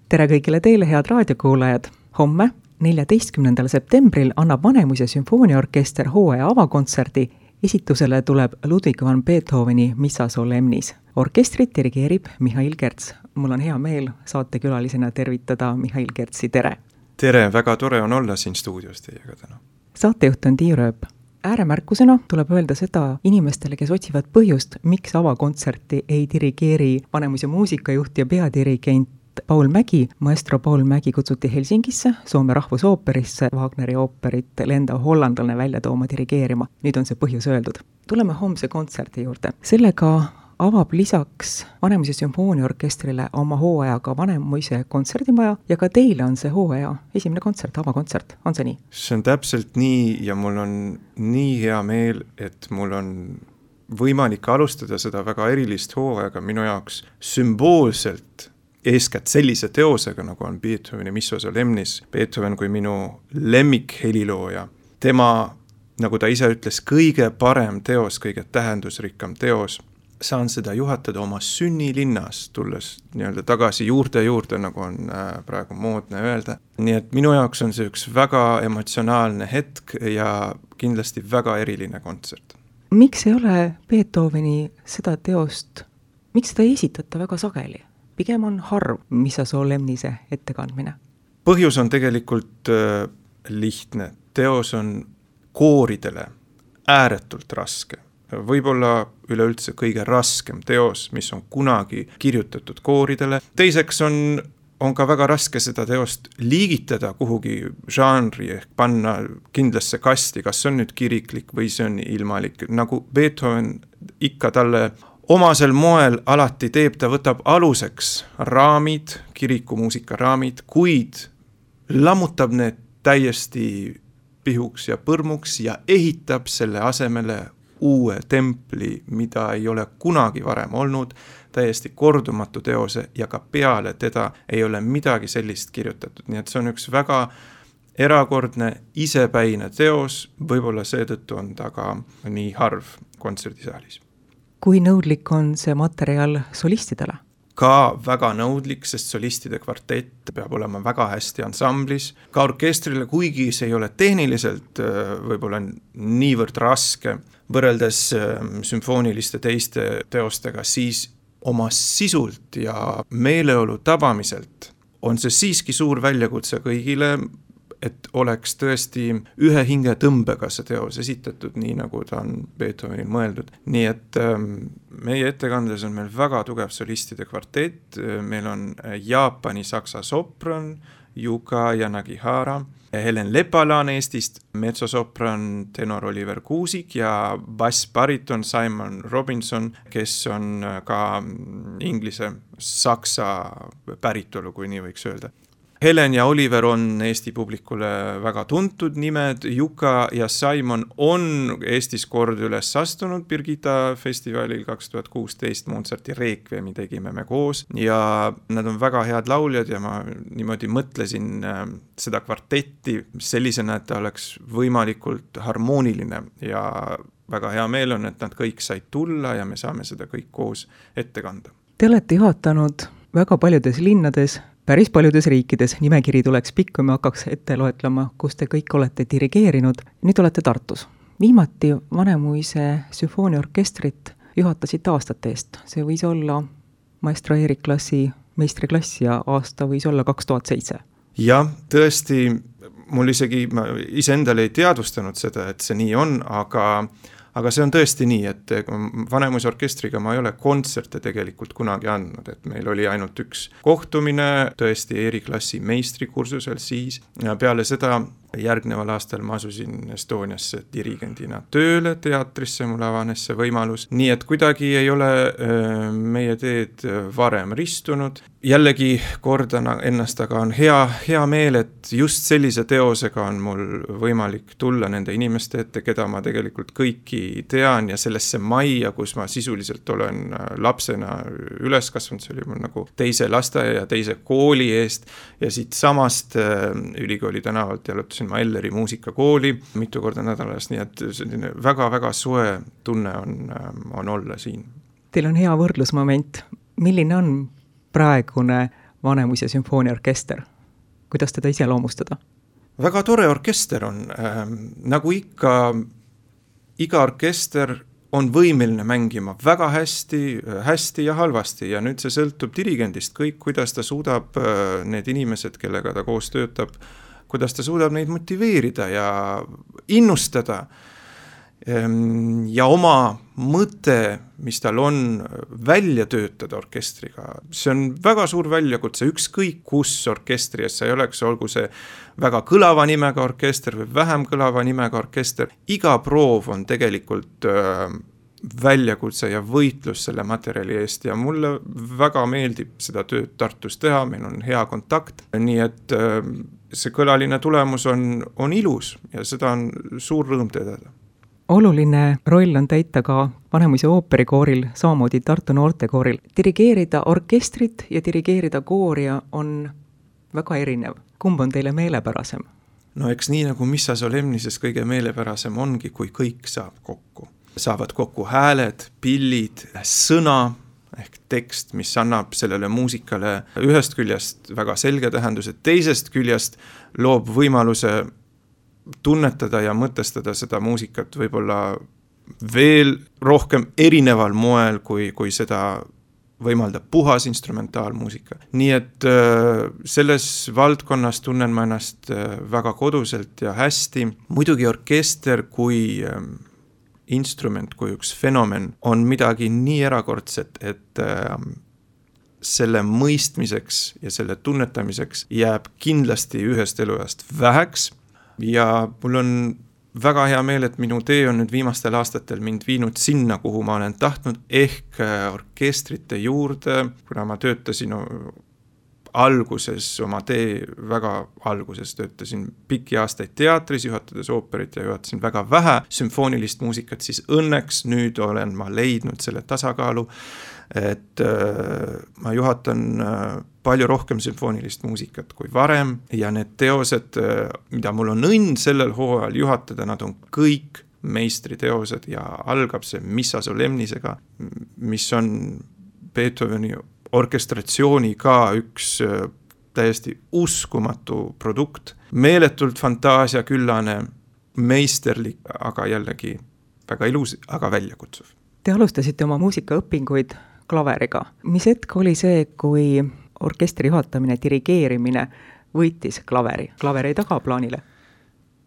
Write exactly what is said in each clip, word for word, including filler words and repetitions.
tere kõigile teile, head raadiokuulajad! Homme, neljateistkümnendal septembril annab Vanemuise sümfooniaorkester hooaja avakontserdi. Esitusele tuleb Ludwig van Beethoveni Missa solemnis. Orkestrit dirigeerib Mihhail Kerts. Mul on hea meel saatekülalisena tervitada Mihhail Kertsi, tere! Tere, väga tore on olla siin stuudios teiega täna. Saatejuht on Tiiu Rööp. Ääremärkusena tuleb öelda seda inimestele, kes otsivad põhjust, miks avakontserti ei dirigeeri Vanemuise muusikajuht ja peadirigent Paul Mägi. Maestro Paul Mägi kutsuti Helsingisse, Soome rahvusooperisse, Wagneri ooperit lenda hollandlane välja tooma dirigeerima. Nüüd on see põhjus öeldud. Tuleme homse kontserdi juurde. Sellega avab lisaks Vanemuise sümfooniaorkestrile oma hooajaga Vanemuise kontserdimaja ja ka teile on see hooaja esimene kontsert, avakontsert. On see nii? See on täpselt nii ja mul on nii hea meel, et mul on võimalik alustada seda väga erilist hooajaga minu jaoks sümboolselt eeskätt sellise teosega, nagu on Beethoveni Missa solemnis. Beethoven kui minu lemmik helilooja. Tema, nagu ta ise ütles, kõige parem teos, kõige tähendusrikkam teos. Saan seda juhatada oma sünnilinnas, tulles nii-öelda tagasi juurde juurde, nagu on praegu moodne öelda. Nii et minu jaoks on see üks väga emotsionaalne hetk ja kindlasti väga eriline kontsert. Miks ei ole Beethoveni seda teost, miks seda ei esitata väga sageli? Pigem on harv Missa solemnise ettekandmine. Põhjus on tegelikult äh, lihtne. Teos on kooridele ääretult raske. Võib-olla üleüldse kõige raskem teos, mis on kunagi kirjutatud kooridele. Teiseks on, on ka väga raske seda teost liigitada kuhugi žanri ehk panna kindlasse kasti, kas on nüüd kiriklik või see on ilmalik. Nagu Beethoven ikka talle omasel moel alati teeb, ta võtab aluseks raamid, kirikumuusika raamid, kuid lammutab need täiesti pihuks ja põrmuks ja ehitab selle asemele uue templi, mida ei ole kunagi varem olnud, täiesti kordumatu teose ja ka peale teda ei ole midagi sellist kirjutatud. Nii et see on üks väga erakordne, isepäine teos, võib-olla seetõttu on ta ka nii harv kontserdisaalis. Kui nõudlik on see materjal solistidele? Ka väga nõudlik, sest solistide kvartett peab olema väga hästi ansamblis. Ka orkestrile, kuigi see ei ole tehniliselt võib-olla niivõrd raske, võrreldes sümfooniliste teiste teostega, siis oma sisult ja meeleolu tabamiselt on see siiski suur väljakutse kõigile, et oleks tõesti ühe hinge tõmbega see teos esitatud, nii nagu ta on Beethovenil mõeldud. Nii et ähm, meie ettekandes on meil väga tugev solistide kvartett, meil on Jaapani saksa sopran, Yuka ja Nagihara, Helen Lepalaan Eestist, metsosopran tenor Oliver Kuusik ja bassbariton Simon Robinson, kes on ka inglise saksa päritolu, kui nii võiks öelda. Helen ja Oliver on Eesti publikule väga tuntud nimed, Yuka ja Simon on Eestis kord üles astunud Birgitta festivalil kaks tuhat kuusteist, Mozarti Requiemi tegime me koos ja nad on väga head lauljad ja ma niimoodi mõtlesin seda kvartetti sellisena, et ta oleks võimalikult harmooniline ja väga hea meel on, et nad kõik said tulla ja me saame seda kõik koos ette kanda. Te olete juhatanud väga paljudes linnades, päris paljudes riikides, nimekiri tuleks pikk, kui me hakkaks ette loetlema, kus te kõik olete dirigeerinud. Nüüd olete Tartus. Viimati Vanemuise sümfooniaorkestrit juhatasite aastate eest. See võis olla maestro Erik Klassi meistriklass ja aasta võis olla kaks tuhat seitse. Jah, tõesti, mul isegi, ma iseendale ei teadvustanud seda, et see nii on, aga Aga see on tõesti nii, et Vanemuise orkestriga ma ei ole kontserte tegelikult kunagi andnud, et meil oli ainult üks kohtumine, tõesti E-klassi meistrikursusel siis. Ja peale seda järgneval aastal ma asusin Estoniasse dirigendina tööle teatrisse, mul avanes see võimalus. Nii et kuidagi ei ole meie teed varem ristunud. Jällegi kordan ennast, aga on hea, hea meel, et just sellise teosega on mul võimalik tulla nende inimeste ette, keda ma tegelikult kõiki tean ja sellesse majja, kus ma sisuliselt olen lapsena üles kasvanud, see oli mul nagu teise lasteaia ja teise kooli eest ja siit samast ülikooli tänavalt jalutasin ma Elleri muusikakooli mitu korda nädalas, nii et selline väga-väga soe tunne on, on olla siin. Teil on hea võrdlusmoment. Milline on praegune Vanemuise sümfooniaorkester? Kuidas teda iseloomustada? Väga tore orkester on. Ähm, nagu ikka, iga orkester on võimeline mängima väga hästi, hästi ja halvasti ja nüüd see sõltub dirigendist kõik, kuidas ta suudab need inimesed, kellega ta koos töötab, kuidas ta suudab neid motiveerida ja innustada ja oma mõte, mis tal on, välja töötada orkestriga. See on väga suur väljakutse, ükskõik kus orkestris sa ei oleks, olgu see väga kõlava nimega orkester või vähem kõlava nimega orkester. Iga proov on tegelikult väljakutse ja võitlus selle materjali eest ja mulle väga meeldib seda tööd Tartus teha, meil on hea kontakt, nii et see kõlaline tulemus on, on ilus ja seda on suur rõõm tõdeda. Oluline roll on täita ka Vanemuise ooperikooril, samamoodi Tartu noortekooril. Dirigeerida orkestrit ja dirigeerida kooria on väga erinev. Kumb on teile meelepärasem? No eks nii nagu Missa Solemnises kõige meelepärasem ongi, kui kõik saab kokku. Saavad kokku hääled, pillid, sõna ehk tekst, mis annab sellele muusikale ühest küljest väga selge tähenduse, teisest küljest loob võimaluse tunnetada ja mõtestada seda muusikat võib-olla veel rohkem erineval moel, kui, kui seda võimaldab puhas instrumentaalmuusika. Nii et selles valdkonnas tunnen ma ennast väga koduselt ja hästi. Muidugi orkester kui instrument, kui üks fenomen on midagi nii erakordset, et selle mõistmiseks ja selle tunnetamiseks jääb kindlasti ühest eluajast väheks. Ja mul on väga hea meel, et minu tee on nüüd viimastel aastatel mind viinud sinna, kuhu ma olen tahtnud, ehk orkestrite juurde, kuna ma töötasin alguses, oma tee väga alguses töötasin pikki aastaid teatris, juhatades ooperit ja juhatasin väga vähe sümfoonilist muusikat, siis õnneks nüüd olen ma leidnud selle tasakaalu, et äh, ma juhatan äh, palju rohkem sümfoonilist muusikat kui varem ja need teosed, äh, mida mul on õnn sellel hooajal juhatada, nad on kõik meistriteosed ja algab see Missa Solemnisega, mis on Beethoveni orkestratsiooni ka üks äh, täiesti uskumatu produkt, meeletult fantaasiaküllane, meisterlik, aga jällegi väga ilus, aga väljakutsuv. Te alustasite oma muusikaõpinguid klaveriga. Mis hetk oli see, kui orkestri juhatamine, dirigeerimine võitis klaveri? Klaver ei taga plaanile?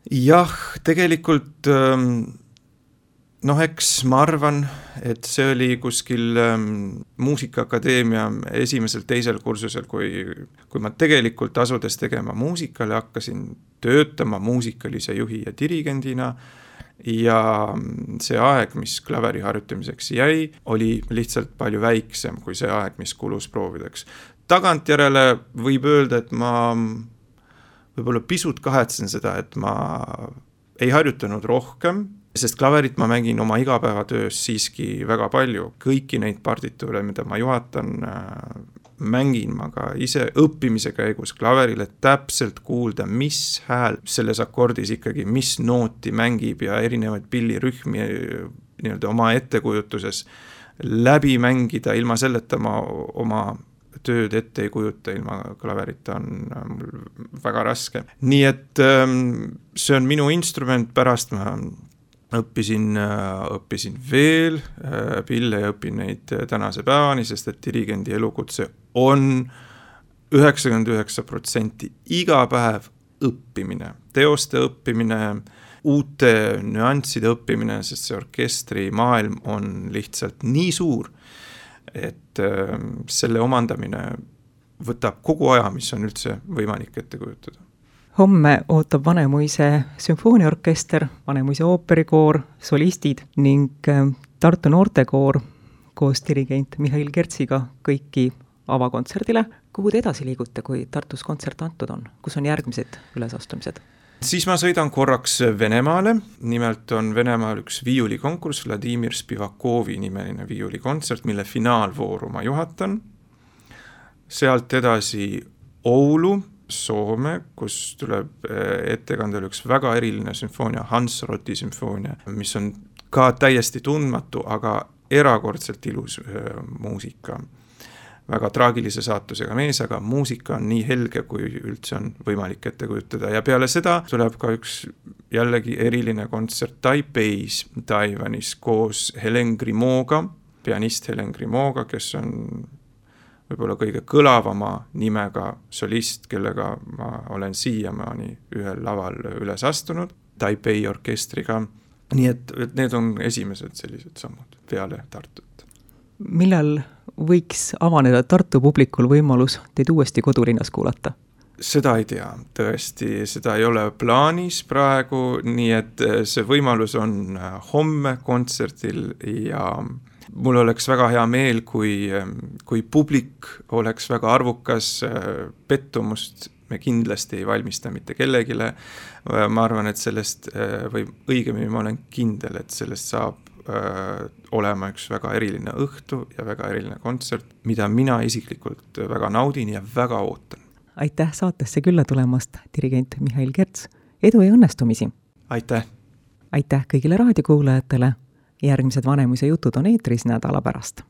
Jah, tegelikult noh, eks ma arvan, et see oli kuskil Muusikaakadeemia esimesel, teisel kursusel, kui, kui ma tegelikult asudes tegema muusikale, hakkasin töötama muusikalise juhi ja dirigendina ja see aeg, mis klaveri harjutamiseks jäi, oli lihtsalt palju väiksem kui see aeg, mis kulus proovideks. Tagantjärele võib öelda, et ma võib-olla pisut kahetsen seda, et ma ei harjutanud rohkem, sest klaverit ma mängin oma igapäevatöös siiski väga palju. Kõiki neid partituure, mida ma juhatan, mängin ma ka ise õppimise käigus klaverile täpselt kuulda, mis hääl selles akordis ikkagi, mis nooti mängib ja erinevaid pillirühmi nii-öelda oma ettekujutuses läbi mängida, ilma selleta ma oma tööd ette ei kujuta, ilma klaverita on mul väga raske. Nii et see on minu instrument, pärast ma õppisin, õppisin veel pille ja õpin neid tänase päevani, sest et dirigendi elukutse on üheksakümmend üheksa protsenti iga päev õppimine, teoste õppimine, uute nüansside õppimine, sest see orkestri maailm on lihtsalt nii suur, et selle omandamine võtab kogu aja, mis on üldse võimalik ette kujutada. Homme ootab Vanemuise sümfooniaorkester, Vanemuise ooperikoor, solistid ning Tartu noortekoor koos dirigent Mihhail Kertsiga kõiki avakontserdile. Kuhu te edasi liigute, kui Tartus kontsert antud on? Kus on järgmised ülesastumised? Siis ma sõidan korraks Venemaale. Nimelt on Venemaal üks viiulikonkurss, Vladimir Spivakovi nimeline viiulikontsert, mille finaalvooru ma juhatan. Sealt edasi Oulu, Soome, kus tuleb ettekandel üks väga eriline sümfoonia, Hansroti sümfoonia, mis on ka täiesti tundmatu, aga erakordselt ilus muusika. väga traagilise saatusega mees, aga muusika on nii helge, kui üldse on võimalik ette kujutada ja peale seda tuleb ka üks jällegi eriline kontsert Taipeis, Taiwanis koos Helen Grimaud'ga, pianist Helen Grimaud'ga, kes on võib-olla kõige kõlavama nimega solist, kellega ma olen siiamaani ühel laval üles astunud, Taipei orkestriga. Nii et, et need on esimesed sellised sammud peale Tartut. Millal võiks avaneda Tartu publikul võimalus teid uuesti kodulinnas kuulata? Seda ei tea, tõesti, seda ei ole plaanis praegu, nii et see võimalus on homme kontserdil ja mul oleks väga hea meel, kui, kui publik oleks väga arvukas, pettumust me kindlasti ei valmista mitte kellegile. Ma arvan, et sellest, või õigemini ma olen kindel, et sellest saab olema üks väga eriline õhtu ja väga eriline kontsert, mida mina isiklikult väga naudin ja väga ootan. Aitäh saatesse külla tulemast, dirigent Mihhail Kerts. Edu ja õnnestumisi! Aitäh! Aitäh kõigile raadiokuulajatele! Järgmised Vanemuise jutud on eetris nädala pärast.